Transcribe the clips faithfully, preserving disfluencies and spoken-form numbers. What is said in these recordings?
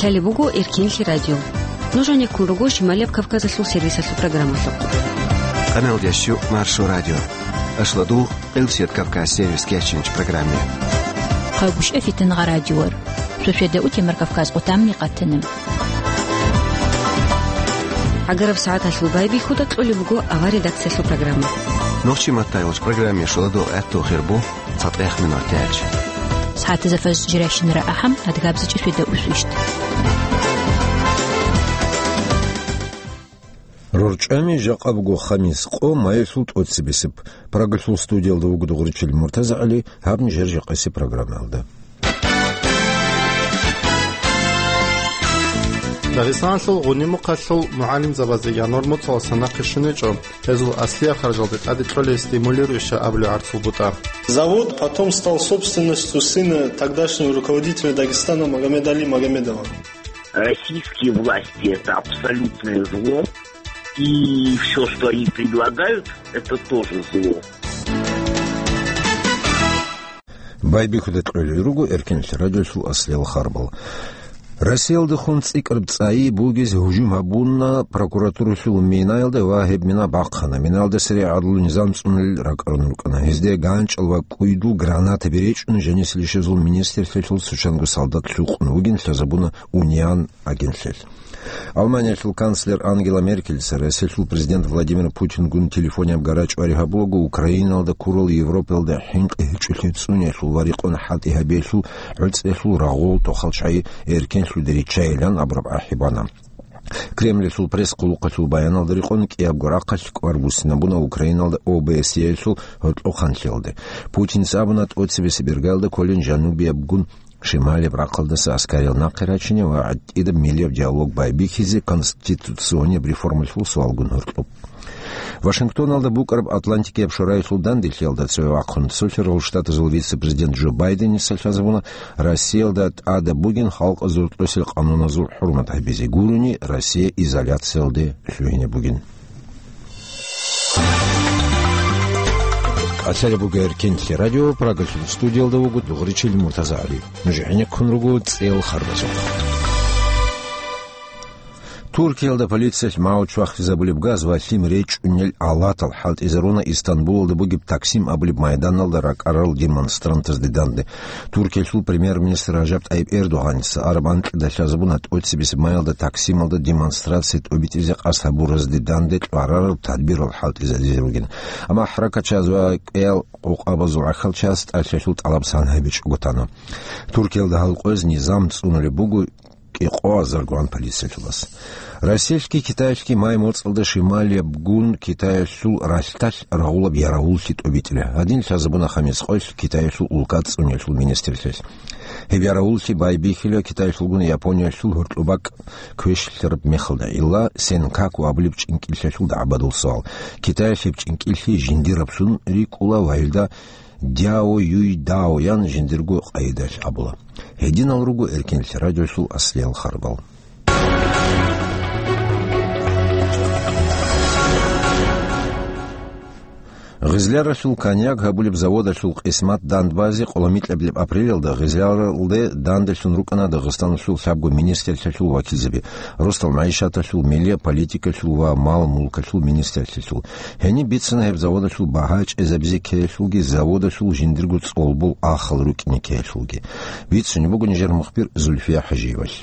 Лъалеб буго Эркенлъи радио. Нуж гьанеккун руго Шималияб Кавказалъул сервисалъул программалъухъ. Къаналдящу Маршо радио. Ашладугъ, Къилсият Кавказ сервис кечинч программе. Хъагушев Фитнагъа радиор. Суседа утемар Кавказ къутамни къатана. ГӀагараб сагӀаталъул байбихьуда кьолеб буго авар редакциялъул программа. Нохчи маттайолч программе шуладо гӀатту хирбу. ЦатӀехъ минуталъ. СагӀатазда фажр жирайщинара ахӀам, адгабзичӀи светда усвищ. РорчӀами жакъа буго хамис къо, майилъул тӀоцебесеб. Прагалъул студиялда вуго дугъричил МуртазагӀали, гьаб нижер жакъасеб программаялда. Дагъистаналъул гъунимухъалъул мугӀалимзабазе январ моцӀалъуса нахъе щвечӀо. Гьезул аслияб харжалде тӀаде кьолей стимулирующая абулеб гӀарцул бутӀа. Завод потом стал собственностью сына тогдашнего руководителя Дагестана Магомедали Магомедова. Российские власти — это абсолютное зло, и всё, что они предлагают, это тоже зло. Байбихьуда кьолел руго Эркенлъи радиолъул аслиял харбал. Россиялдехун цӀикӀкӀараб цӀайи бугез гьужум гьабуна прокуратуралъул минаялда ва гьеб мина бахъана. Минаялда сири гӀадлу низам цӀунулел ракӀарун рукӀана. Гьезде ганчӀал ва кӀуйдул гранатаби речӀун, жанисел ишазул министрлъиялъул цочанго солдат лъукъун вугин лъазабуна Униан агентлъиялъ. Гьалманиялъул канцлер Ангела Меркельица Россиялъул президент Владимир Путингун телефонияб гарачӀвари гьабулаго, Украиналда ккурал Европаялда хӀинкъи гьечӀолъи цӀуниялъул ва рекъон хӀалтӀи гьабиялъул гӀуцӀиялъул рагъул тохал чагӀи эркенлъуде риччайилан абураб ахӀи бана. Кремльалъул пресс-хъулухъалъул баяналда рекъон, кӀиябго рахъалъ кӀвар буссинабуна Украиналда О Б С Е-ялъул гьоркьохъанлъиялде. Путинца абуна, тӀоцебесеб иргаялда кколин жанубиябгун шималияб рахъалдаса аскариял нахъе рачине ва гӀатӀидаб миллияб диалог байбихьизе конституционияб реформалъул суалгун гьоркьоб. Вашингтоналда букӀараб Атлантикияб шораялъул данделъиялда цеве вахъун, Цолъарал Штатазул вице-президент Джо Байденица лъазабуна, Россиялда тӀадаб бугин халкъазул рокьосел къануназул хӀурмат гьабизе, гурони Россия изоляциялде лъугьине бугин. Лъалеб буго Эркенлъи радио, Прагалъул студиялда вуго дугъричил МуртазагӀали. Нуж гӀенеккун руго цӀел харбазухъ. Туркиялда полициялъ магьучвахизабулеб газ ва лъим речӀунел алатал хӀалтӀизаруна Истанбулалда бугеб Таксим абулеб майданалда ракӀарал демонстрантазде данде. Туркиялъул премьер-министр Ражаб ТӀайиб Эрдогъаница араб анкьида лъазабуна тӀоцебесеб майалда Таксималда демонстрация тӀобитӀизе къасд гьабуразде данде кьварараб тадбирал хӀалтӀизаризе ругин. Амма хӀаракатчияз ва кӀел къокъабазул гӀахьалчияз тӀалъиялъул тӀалаб сан гьабичӀого тана. Туркиялда гьал къояз низам цӀунулеб буго кӀикъоазаргун полициялъулас. Россиялъги Китаялъги май моцӀалда шималиябгун Китаялъул ралъдалъ рагъулаб яравуллъи тӀобитӀила. Гьадин лъазабуна хамис къоялъ Китаялъул улка цӀуниялъул министрлъиялъ. Гьеб яравуллъи байбихьила Китаялъулгун Япониялъул гьоркьоб бакӀ квешлъараб мехалда. Илла Сенкаку абулеб чӀинкӀиллъиялъул дагӀбадул суал. Китаялъ гьеб чӀинкӀиллъи жиндираблъун рикӀкӀула ва илда Дяо Юй Дао ян жиндирго къайдаялъ абула. Гьединал руго Эркенлъи радиолъул аслиял харбал. Гъизляралъул коньяк гьабулеб заводалъул къисмат дандбазе къоломикьаблеб апрелалда Гъизляралде данделъун рукӀана Дагъистаналъул лъабго министрлъиялъул вакилзаби, росдал магӀишаталъул, миллияб политикалъул ва мал-мулкалъул министрлъиялъул. Гьениб бицана гьеб заводалъул багьа чӀезабизе ккеялъулги, заводалъул жиндирго цӀолбол ахал рукӀине ккеялъулги. Бицунеб буго нижер мухбир Зульфия ХӀажиевалъ.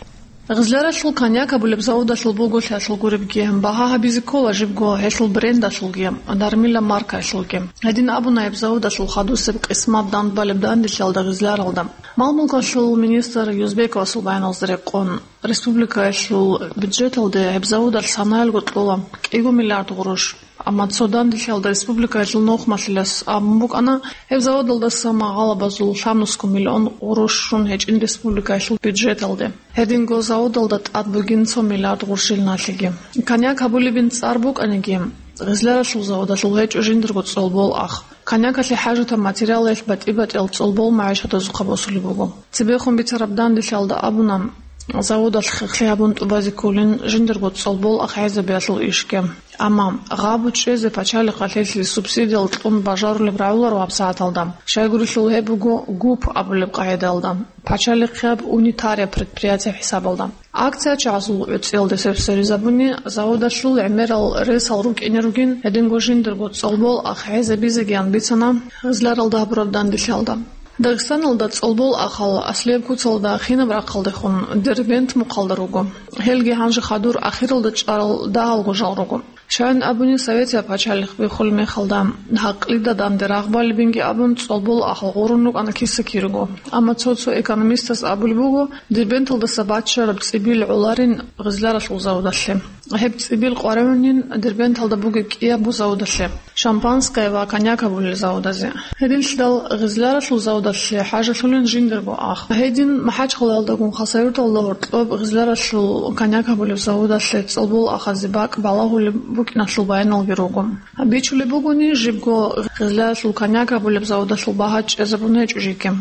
Гъизляралъул коньяк абулеб заводалъул буго лъалъул гуребги, багьа гьабизе ккола жибго гьелъул брендалъулги, дармила маркаялъулги. Гьедин абуна гьеб заводалъул хадусеб къисмат дандбалеб данделъиялда Гъизляралда. Мал-мулкалъул министр Юзбековасул баяналда рекъон, республикаялъул бюджеталде гьеб заводалъ санаялго кьола кӀиго миллиард гъурущ. Амма цо данделъиялда республикаялъул нухмалъилас абун букӀана, гьеб заводалдаса магъалабазул лъабнусго миллион гъурущ щун гьечӀин республикаялъул бюджеталде. Гьединго заводалда тӀад бугин цо миллиард гъурущил налъиги. Коньяк гьабулебин цӀар букӀаниги, Гъизляралъул заводалъул гьечӀо жиндирго цӀолбол ах. Коньякалъе хӀажатаб материалалъ батӀи-батӀиял цӀолбол магӀишатазухъа босулеб буго. Цебехун бицараб данделъиялда абуна, заводалъ хехлъи гьабун тӀубазе кколин жиндирго цӀолбол ах гӀезабиялъул ишги. Амма гъабу чӀезе пачалихъалъ гьелъие субсидиял кьун бажарулеб рагӀуларо гьабсагӀаталда. Щайгурелъул гьеб буго ГУП абулеб къагӀидаялда, пачалихъияб унитария предприятие хӀисабалда. Акция чагӀазул гӀуцӀиялде сверизабуни, заводалъул гӀемерал ресал рукӀине ругин, гьединго жиндирго цӀолбол ах гӀезабизегиян бицана гъизларалда гьабураб данделъиялда. Дагъистаналда цӀолбол ахал аслияб куцалда хинаб рахъалдехун Дербент мухъалда руго. Гьелги гьанже хадур ахиралда чӀарал дагьалго жал руго. Щайин абуни, Советияб пачалихъ биххулеб мехалда, гьакълида данде рагъ балебинги абун, цӀолбол ахал гъурун рукӀана киса-кирего. Амма цо-цо экономистас абулеб буго, Дербенталдаса баччараб цӀибил гӀоларин гъизларалъул заводалъе. Гьеб цӀибил къваригӀунин Дербенталда бугеб кӀиябго заводалъе, шампанское ва коньяк абулел заводазе. Гьединлъидал гъизларалъул заводалъе хӀажалъулин жиндирго ах. Гьедин МахӀачхъалаялдагун Хасавюрталда гьоркьоб гъизларалъул коньяк абулеб заводалъе цӀолбол ахазе бакӀ балагьулеб букӀиналъул баяналги руго. Бичулеб бугони, жибго гъизларалъул коньяк абулеб заводалъул багьа чӀезабун гьечӀо жеги.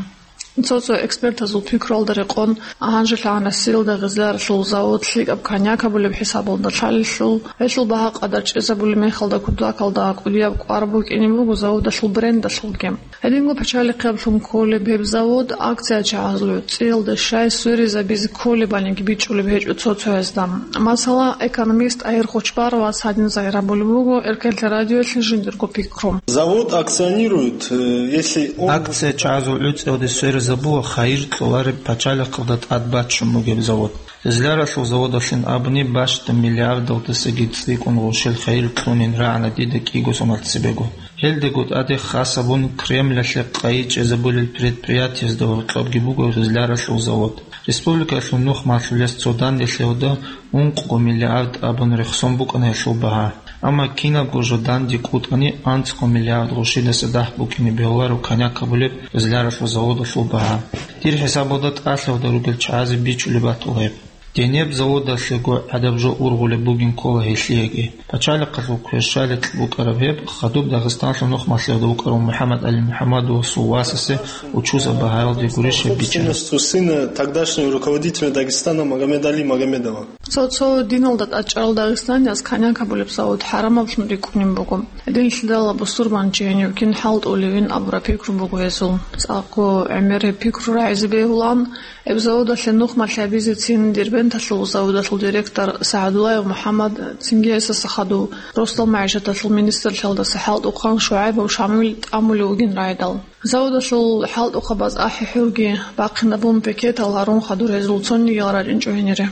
Цо-цо экспертазул пикруялда рекъон, гьанжелъ гьанасиялда гъизларалъул завод лъикӀаб коньяк абулеб хӀисабалда лъалелъул, гьелъул багьа къадар чӀезабулеб мехалда кутакалда кӀудияб кӀвар букӀине буго заводалъул брендалъулги. Гьединго пачалихъиялъун кколеб гьеб завод акция чагӀазул гӀуцӀиялда щай сверизабизе кколебалинги бичӀчӀулеб гьечӀо цо-цоязда. Масала, экономист ТӀагьир Хочбаровас гьадин загьир гьабулеб буго Эркенлъи радиоялъе жиндирго пикру. Завод акционирует, э, если он... Акция чагӀазул гӀуцӀиялде сверизабула хайир кьолареб пачалихъалда тӀад баччун бугеб завод. Гъизларалъул заводалъин абуни, бащдаб миллиардалдасаги цӀикӀкӀун гъушел хайир кьунин рагӀана дида кӀиго соналъ цебего. Гьелдаго тӀаде хас абун Кремлалъе къайи чӀезабулел предприятиязда гьоркьобги буго гъизларалъул завод. Республикалъул нухмалъулес цо данделъиялда ункъго миллиард абун рехсон букӀана гьелъул багьа. Амма кинабго жо данде кӀутӀани, анцӀго миллиард гъушидаса дагь букӀине бегьуларо коньяк абулеб гъизларалъул заводалъул багьа. Дир хӀисабалда тӀалъиялда ругел чагӀазе бичӀчӀулеб батула гьеб. Гьениб заводалъего гӀадаб жо ургъулеб бугин ккола гьелъиеги. Пачалихъалъул кверщаликь букӀараб гьеб хадуб Дагъистаналъул нухмалъиялда вукӀарав МухӀаммад-ГӀали МухӀаммадовасул васасе учузаб багьаялде гурищ гьеб бичӀчӀана. Собственностью сына тогдашнего руководителя Дагестана Магомед-Али Магомедова. Цо-цо диналда тӀадчӀарал дагъистанияз коньяк абулеб завод хӀарамаблъун рикӀкӀунеб буго. Гьединлъидал бусурбанчи гьенив кин хӀалтӀулевин абураб пикру буго гьезул. ЦӀакъго гӀемер гьеб пикру рагӀизе бегьулаан, гьеб заводалъе нухмалъи гьабизецин Дербенталъул заводалъул директор СагӀдуллаев МухӀаммад, цинги гьесдаса хадув, росдал магӀишаталъул министрлъиялдаса хӀалтӀухъан ШугӀайбов Шамил тӀамулев вугин рагӀидал. Заводалъул хӀалтӀухъабаз ахӀи-хӀурги бахъинабун пикетал гьарун хадур гьезул цонигиял рачӀинчӀо гьенире.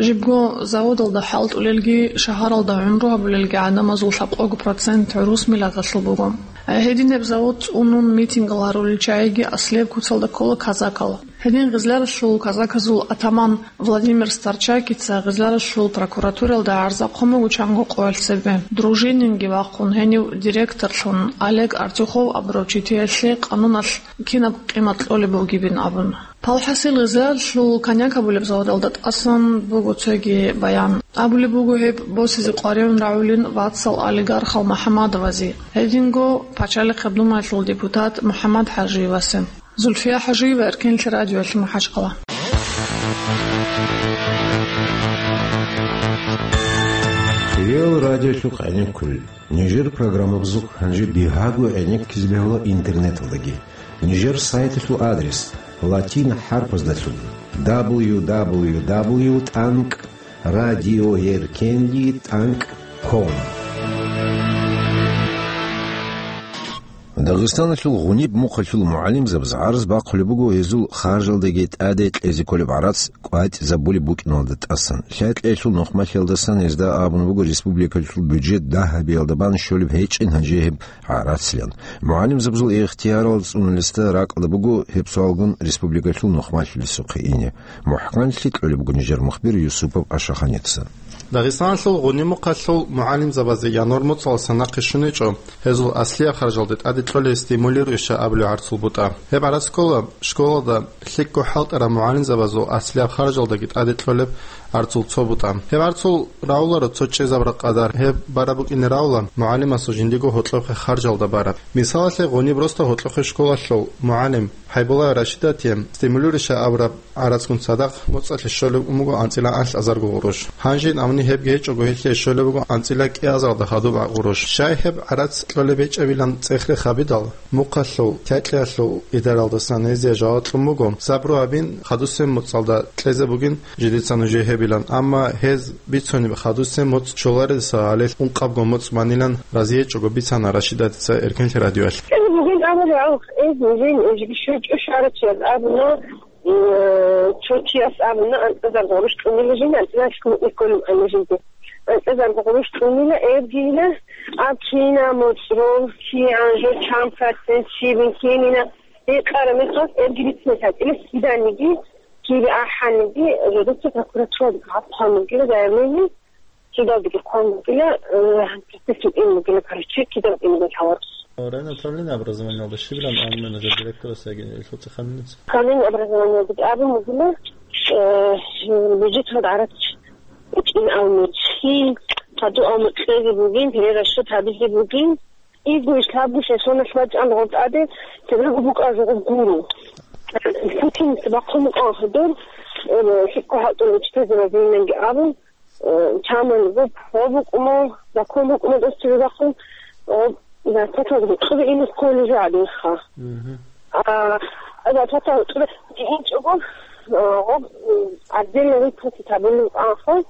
Жибго заводалда хӀалтӀулелги, шагьаралда гӀумру гьабулелги гӀадамазул лъабкъого процент гӀурус миллаталъул буго. Гьединаб завод цӀунун митингал гьарулел чагӀиги аслияб куцалда ккола казакал. Гьедин гъизларалъул казаказул атаман Владимир Старчакица гъизларалъул прокуратуралда гӀарза хъун буго чанго къоялъ цебе. Дружининги вахъун, гьенив директорлъун Олег Артюхов абурав читиялъе къануналъ кинаб къимат кьолеб бугебин абун. Палхасил гъизларалъул коньяк абулеб заводалда тӀасан буго цоги баян. Абулеб буго, гьеб босизе къваригӀун рагӀулин вацал олигархал МухӀаммадовазе, гьединго Пачалихъаб Думаялъул депутат МухӀаммад ХӀажиевасе. Зульфия ХӀажиева, Эркенлъи радиоялъ, МахӀачхъала. Реал радиолъухъ гӀенеккулел. Нижер программабазухъ гьанже бигьаго гӀенеккизе бегьула интернеталдаги. Нижер сайталъул адрес латин хӀарпаздалъун: дабл ю дабл ю дабл ю тӀанкӀ радиоеркенлъи тӀанкӀ ком. Дагъистаналъул гъуниб мухъалъул мугӀалимзабаз гӀарз бахъулеб буго гьезул харжалдаги тӀаде кьезе кколеб гӀарац кӀватӀизабулеб букӀиналда тӀасан. Лъай кьеялъул нухмалъиялдасан гьезда абун буго республикалъул бюджет дагь гьабиялда бан щолеб гьечӀин гьанже гьеб гӀарацлъан. МугӀалимзабазул ихтиярал цӀунулесда ракӀалда буго гьеб суалгун республикалъул нухмалъулесухъе ине. МухӀканлъи кьолеб буго нижер мухбир Юсупов Ашаханица. Дагъистаналъул гъуниб мухъалъул мугӀалимзабазе январь моцӀалдаса нахъе щун гьечӀо гьезул аслияб харжалде тӀаде кьолеб стимулирующая абулеб гӀарцул бутӀа. Гьеб гӀарац ккола школалда лъикӀго хӀалтӀараб мугӀалимзабазул аслияб харжалдаги тӀаде кьолеб гӀарцул цо бутӀа. Гьеб гӀарцул рагӀуларо цо чӀезабураб къадар, гьеб бараб букӀине рагӀула мугӀалимасул жиндиего гьоркьохъе харжалда бараб. Мисалалъе, гъуниб росда гьоркьохъе школалъул мугӀалим ХӀайбуллаева Рашидатие стимулирующая абураб гӀарацгун цадахъ моцӀалъе щолеб ун буго анцӀила анлъазарго гъурущ. Гьанжин абуни Гьебги гьечӀого гьелъие щолеб буго анцӀила кӀиазалда хадуб гӀагъуруш. Щай гьеб гӀарац кьолеб гьечӀебилан цӀехре хабидал, мухъалъул лъай-лъаялъул идаралдасан гьезие жаваб кьун буго, сабру гьабин, хадусеб моцӀалда кьезе бугин жидеца нужее гьебилан, амма гьез бицунеб хадусеб моцӀ щоларелдаса гьале ункъабго моцӀ манилан разиечӀого бицана Рашидатица Эркенлъи радиоялъ. Кьезе бугин абулеб гьав, эз нижин эжги щвечӀо шарачияз абуна, э, цо чияс абуна, анцӀазар гъурущ кьунила жин, анцӀазар кьунила жинди. АнцӀазар гъурущ кьунила, эбгийила, аб кина моцӀрол, кигӀан жо чан процент щибин кинина, гьекъара мехалъ эбги бицинес гьатӀила, киданиги, кири ахӀаниги, жодоца прокуратураги гьаб хъван бугила заявление, судалдеги хъван бугила, э, процессил ин бугила, короче, кидал ин бугила гьаварус. Районный управление образованиялда щибилан абун нужер директорасдаги, ил цӀеханница? Управление образованиялдаги абун бугила, э, бюджеталда гӀарац букӀин абун бугин, хадув абун кьезе бугин, перерасчет гьабизе бугин, Игу иш лъабго сезоналъ бачӀан гъоб тӀаде, цебего букӀа жо гъоб гуро. Путин бахъун букӀан хадур, э, лъикӀго хӀалтӀул учитель разиинанги абун, э, чаман гъоб гъоб букӀумо, бахъун букӀумо дос цебе бахъун, гъоб зарплата гъоб кьуби ин школе жо гьадинха. Мгм. А, зарплата гъоб кьуби инчӀого, э, гъоб, м, отдельно выплатить гьабулин анха.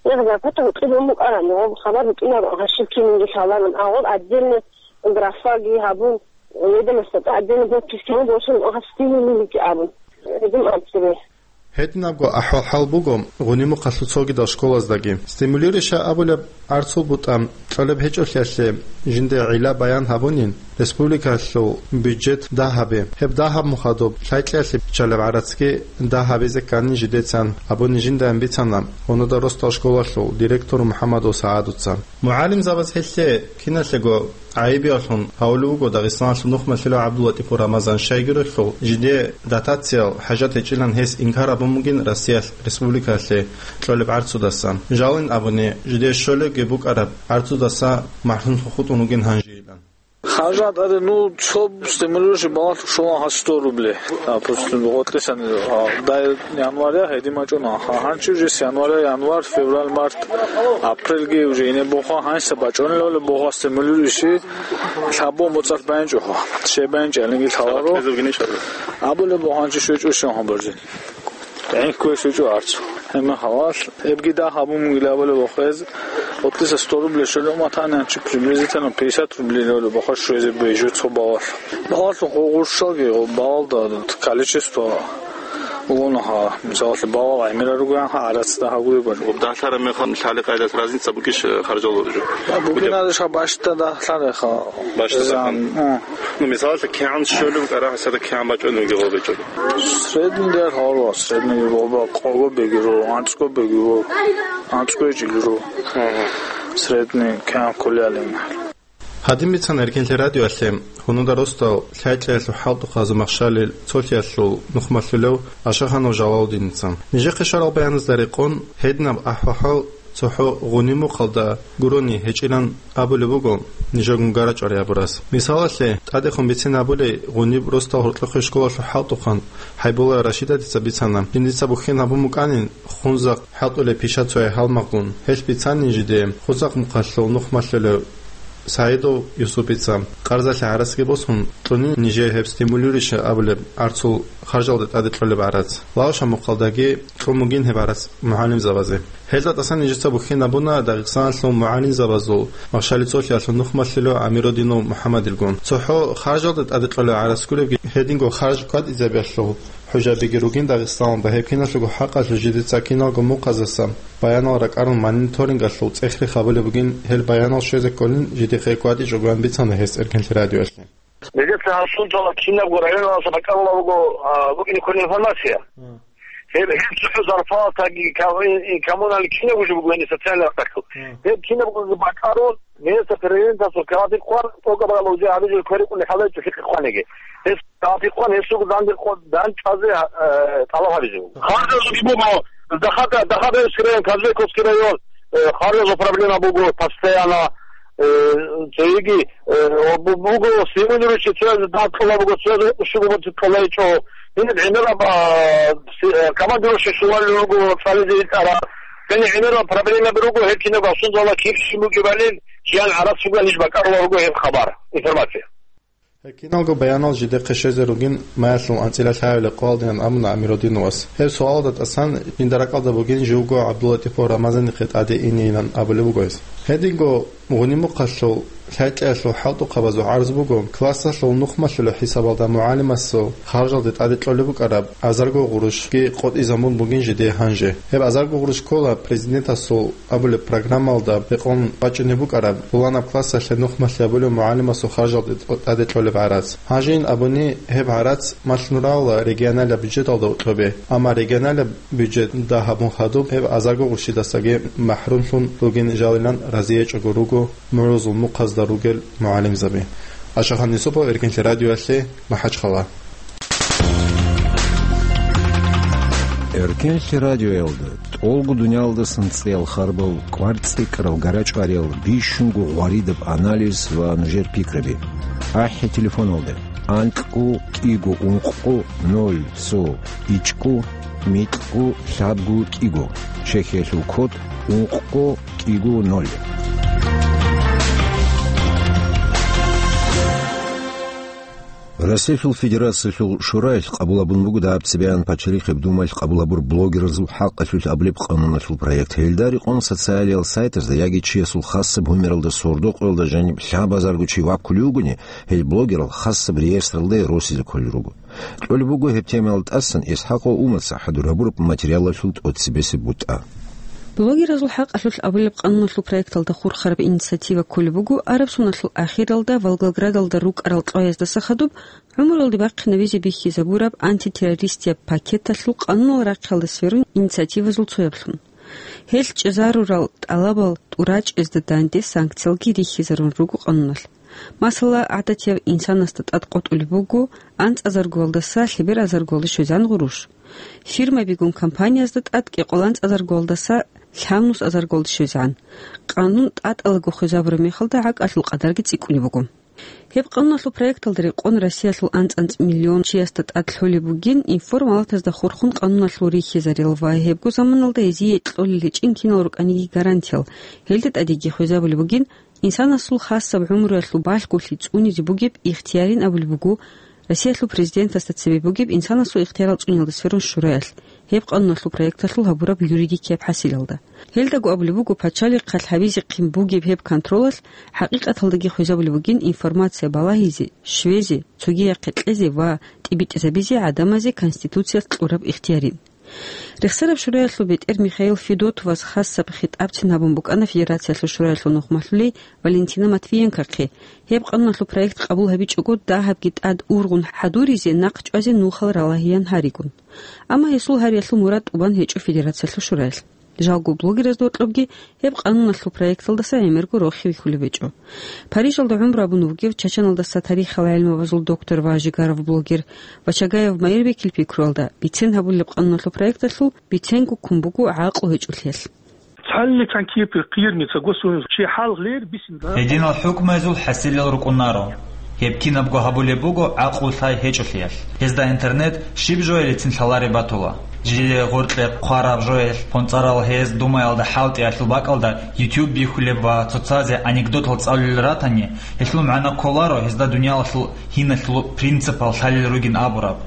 Ягъ, зарплата гьукъи бун букӀараб, гъоб хабар букӀинаб, гьащиб кинниги лъаларун, агъор отдельно графаги гьабун, ведомостьда отдельно подписки гьабун, босун, гьас стимулилики абун. Гьедин абцебе. Гьединабго ахӀвал-хӀал буго Гъунимухъалъул цогидал школаздаги. Стимулирующая абулеб гӀарцул бутӀа кьолеб гьечӀолъиялъе жинде гӀилла баян гьабунин, республикалъул бюджет дагь гьабе. Гьеб дагь гьаб мухъадуб, лъай-лъиялъе биччалеб гӀарацги дагь гьабизе ккани жидецан абуни жиндаан бицана Гьунуда росдал школалъул директор МухӀаммадов СагӀадуца. МугӀалимзабаз гьелъе киналъего гӀайибиялъун гьавулев вуго Дагъистаналъул нухмалъулев ГӀабдуллатӀипов Рамазан, щайгурелъул жиде дотациял хӀажат гьечӀилан гьес инкар гьабун бугин Россиялъ республикалъе кьолеб гӀарцудасан. Жалин абуни, жиде щолебги букӀараб гӀарцудаса махӀрумлъун хутӀун вугин гьанжейилан. Харжат аре, ну, цо стимулирующий балагьлъун щолан гьас сто рублей. Допустим, гъотӀисан, а, дай января гьедин бачӀуна. Гьа-, гьанчи уже с января, январь, февраль, март, апрельги уже ине боха, гьанса бачӀунелали боха стимулирующий лъабо моцӀалъ байинчӀо. Щай байинчӀалинги лъаларо. Абулеб боха гьанчи щвечӀо щон гьабарзе. ГӀинккуе щвечӀо арцу. Гьебмехалал, эбги дагь гьабун мугилабали бохез, отлиса сто рублей щолев матани, анчи приблизительно пятьдесят рублей левли бохо щвезе бейжу цо балалъ. Балалъун гъурщалги, балалда количество угонаха, мисалалъе, балал гӀемера ругоянха, гӀарацда гьагуе бажу. Далъара мехалъ лъали къайдас разница букиш харжал жо? Бугиналиша башта далъареха. Башта Зан, далъан. А. Ну, мисалалъе, кигӀан щолев кӀарахӀа сада кигӀан бачӀунеги гъобечӀо. Средний дер гьавар, средний гъоба, къого бегиро, анцӀго бегиро, анцӀго жилиро. Ага. Средний кам кулялин. Гьадин бицана Эркенлъи радиоялъе Гьунуда росдал лъай-лъиялъул хӀалтӀухъазул махщалил цолъиялъул нухмалъулев Ашаханов Жалалудиница. Нижехъе щварал баяназда рекъон, гьединаб ахӀвал-хӀал цохӀо Гъунимухъалда гурони гьечӀилан абулеб буго нижер гунгарачӀвари абурас. Мисалалъе, тӀадехун бицин абулей, Гъуниб росдал гьоркьохъе школалъул хӀалтӀухъан Хьайбулла Рашидатица бицана, жиндица бухьен гьабун букӀанин Хунзахъ хӀалтӀулеб пиша цояй гьалмагъун. Гьелъ бицанин жиде Хунзахъ мухъалъул нухмалъулев СагӀидов Юсупица, къарзалъе гӀарацги босун, кьунин нижее гьеб стимулирующий абулеб гӀарцул харжалде тӀаде кьолеб гӀарац. Лаушаб мухъалдаги кьун бугин гьеб гӀарац мугӀалимзабазе. Гьелда тӀасан нижеца бухьен абуна Дагъистаналъул мугӀалимзабазул Махщали цолъиялъул нухмалъулев ГӀамирудинов МухӀаммадилгун. ЦохӀо харжалда тӀаде кьолеб гӀарац гуребги, гьединго харж кӀватӀизабиялъул хӀужабиги ругин Дагъистаналда, гьеб киналъего хӀакъалъулъ жидеца киналго мухъаздаса баянал ракӀарун мониторингалъул цӀехре хабулеб бугин, гьел баянал щвезе кколин жидехъе кӀватӀичӀогоян бицана гьес Эркенлъи радиоялъе. Нижеца гьасул жала кинабго районалдаса бакӀалла буго, а, букӀине кколеб информация. Гьеб, гьеб цохӀо зарплатаги, ка-, ин, ин коммунальный кинабго жо буго, гьениб социальный рахъалъул. Гьеб кинабго бакӀарун, гьесда президентасул кагъатихъ хъван, тӀокӀаб гьалав жо гьабизе кверикъуни хӀалайчӀо лъикъе хъваниги. Гьес кагъатихъ хъван, гьесул данде къо-, данчӀвазе, э, тӀалаб гьабизе буго. Харжазулги буго, дахада, дахада Казбековский район, э, харжазул проблема буго, постоянно, э, цоги, э, бу-, буго, стимулирующий цоязе дагь кьола буго, цоязе щуго буго кьолайчӀо. Гьениб гӀемераб, а, си-, э, командирующий щулалел руго цӀализе итӀараб. Гьаниб гӀемерал проблемаби руго, гьеб кинаб асунзала киб щиб букӀибали, жан гӀарац буган иш бакӀарулел руго гьеб хабар, информация. Гьеб киналго баянал жидехъе щвезе ругин маялъул анцӀила лъагӀалил къоялдаян абуна Амируддиновас. Гьеб суалалда тӀасан жинда ракӀалда бугин живго ГӀабдуллатӀипов Рамазанихъе тӀаде инейилан абулеб буго гьес. Гьединго Гъунимухъалъул лъай-лъаялъул хӀалтӀухъабазул гӀарз буго, классалъул нухмалъулеб хӀисабалда мугӀалимасул харжалде тӀаде кьолеб букӀараб азарго гъурущги къотӀизабун бугин жидее гьанже. Гьеб азарго гъурущ ккола президентасул абулеб программалда рекъон бачӀунеб букӀараб, пуланаб классалъе нухмалъи абулев мугӀалимасул харжалде тӀаде кьолеб гӀарац. Гьанжейин абуни, гьеб гӀарац малъун равала регионалаб бюджеталда гьоркьобе, амма регионалаб бюджет дагь гьабун хадуб, гьеб азарго гъурущидасаги махӀрумлъун ругин жалилан разиячӀого руго мугӀрузул мухъазда ругел мугӀалимзаби. Ашахан Юсупов, Эркенлъи радиоялъе, МахӀачхъала. Эркенлъи радиоялда тӀолго дуниялдасан цӀеял харбал, кӀвар цӀикӀкӀарал гарачӀвариял, бищунго гъваридаб анализ ва нужер пикраби. АхӀи телефоналда: анкьго кӀиго ункъго ноль цо ичӀго микьго лъабго кӀиго, Чехиялъул код ункъго кӀиго ноль. Россиялъул Федерациялъул Шураялъ къабул гьабун буго дагьаб цебегӀан Пачалихъеб Думаялъ къабул гьабур блогеразул хӀакъалъулъ абулеб къануналъул проект. Гьелда рекъон социалиял сайтазда яги чиясул хасаб гьумералда сордо-къоялда жаниб лъабазарго чи ваккулев вугони, гьел блогерал хасаб реестралда росизе кколел руго. Кьолеб буго гьеб темаялда тӀасан ИсхӀакъов Умарца хӀадур гьабураб материалалъул тӀоцебесеб бутӀа. Блогеразул хӀакъалъулъ абулеб къануналъул проекталда хурхараб инициатива кколеб буго арабсоналъул ахиралда Волгоградалда рукӀарал кьваяздаса хадуб гӀумруялде бахъинабизе бихьизабураб антитеррористияб пакеталъул къанунал рахъиялда сверун инициативазул цояблъун. Гьелъ чӀезарурал тӀалабал тӀурачӀезда данде санкциялги рихьизарун руго къануналъ. Масала, гӀадатияв инсанасда тӀад къотӀулеб буго анцӀазаргоялдаса лъебералазаргоялде щвезегӀан гъурущ. Фирмабигун компаниязда тӀад кӀикъоялда анцӀазаргоялдаса лъабнусазаргоялде щвезегӀан. Къанун тӀатӀалаго хвезабураб мехалда гӀакӀалъул къадарги цӀикӀкӀунеб буго. Гьеб къануналъул проекталда рекъон Россиялъул анцӀ-анцӀ миллион чиясда тӀад лъолеб бугин информалатазда хурхун къануналъул рихьизарил ва гьебго заманалда гьезие кьолел гьечӀин кинал рукӀаниги гарантиял, гьелда тӀадеги хвезабулеб бугин инсанасул хасаб гӀумруялъул балъголъи цӀунизе бугеб ихтиярин абулеб буго Россиялъул президентасда цебе бугеб инсанасул ихтиярал цӀуниялда сверун шураялъ, гьеб къануналъул проекталъул гьабураб юридикияб хӀасилалда. Гьелдаго абулеб буго, пачалихъалъ гьабизехъин бугеб гьеб контролалъ хӀакъикъаталдаги хвезабулеб бугин информация балагьизе, щвезе, цогияхъе кьезе ва тӀибитӀизабизе гӀадамазе Конституциялъ кьураб ихтиярин. Рехсараб шураялъул бетӀер Михаил Федотовас хасаб хитӀабцин гьабун букӀана Федерациялъул шураялъул нухмалъулей Валентина Матвиенкохъе, гьеб къануналъул проект къабул гьабичӀого дагьабги тӀад ургъун хӀадуризе нахъ чӀвазе нухал ралагьеян гьаригун. Амма гьесул гьариялъул мурад тӀубан гьечӀо Федерациялъул шураялъ. Жалго блогеразда гьоркьобги гьеб къануналъул проекталдаса гӀемерго рохи вихьулеб гьечӀо. Парижалда гӀумру гьабун вугев Чачаналдаса тарихал гӀелмабазул доктор ва жигарав блогер Вачагаев Майирбекил пикруялда, бицен гьабулеб къануналъул проекталъул биценго ккун буго гӀакълу гьечӀолъиялъ. Цалли чанкипи кирни ца госуни чи хӀал гълер бисин да. Гьединал хӀукмуязул хӀасилал рукӀунаро. Гьеб кинабго гьабулеб буго гӀакълу лъай гьечӀолъиялъ. Гьезда интернет щиб жоялицин лъалареб батула. Жиле гъоркье хъвараб жоялъ, хъунцӀарал гьез Думаялда хӀалтӀиялъул бакӀалда YouTube бихьулеб ва цоцазе анекдотал цӀалулел ратани, гьелъул магӀна кколаро гьезда дуниялалъул гьиналъул принципал лъалел ругин абураб.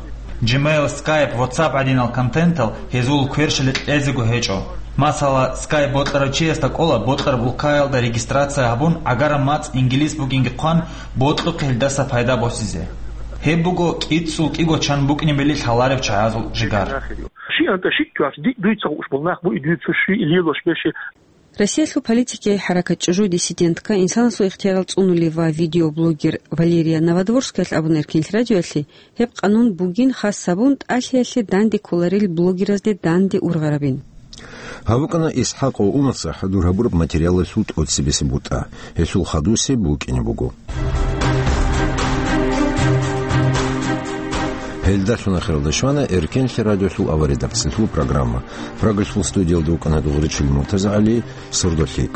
Gmail, Skype, WhatsApp гӀадинал контентал гьезул кверщалде кьезего гьечӀо. Масала, Skype бокьарав чиясда кӀола бокьараб улкаялда регистрация гьабун, гӀагараб мацӀ инглис бугинги хъван, бокьухъе гьелдаса пайда босизе. Гьеб буго кӀицӀул кӀиго чан букӀинабили лъаларев чагӀазул жигар. Россиялъул политикияй хӀаракат «ЧӀужу диссидентка», инсанасул ихтиярал цӀунулев ва видеоблогер Валерия Новодворскаялъ абуна Эркенлъи радиоялъе, гьеб къанун бугин хас гьабун тӀалъиялъе данде кколарел блогеразде данде ургъарабин. Гьаб букӀана Исхакъ ва Умарца хӀадур гьабураб материалалъул тӀоцебесеб бутӀа. Гьелъул хадусе букӀине буго. Гьелдалъун ахиралда щвана Эркенлъи радиолъул аварагасдалъул программа. Прагалъул студиялда вукӀана Дугъричил МуртазагӀали, сордолъи.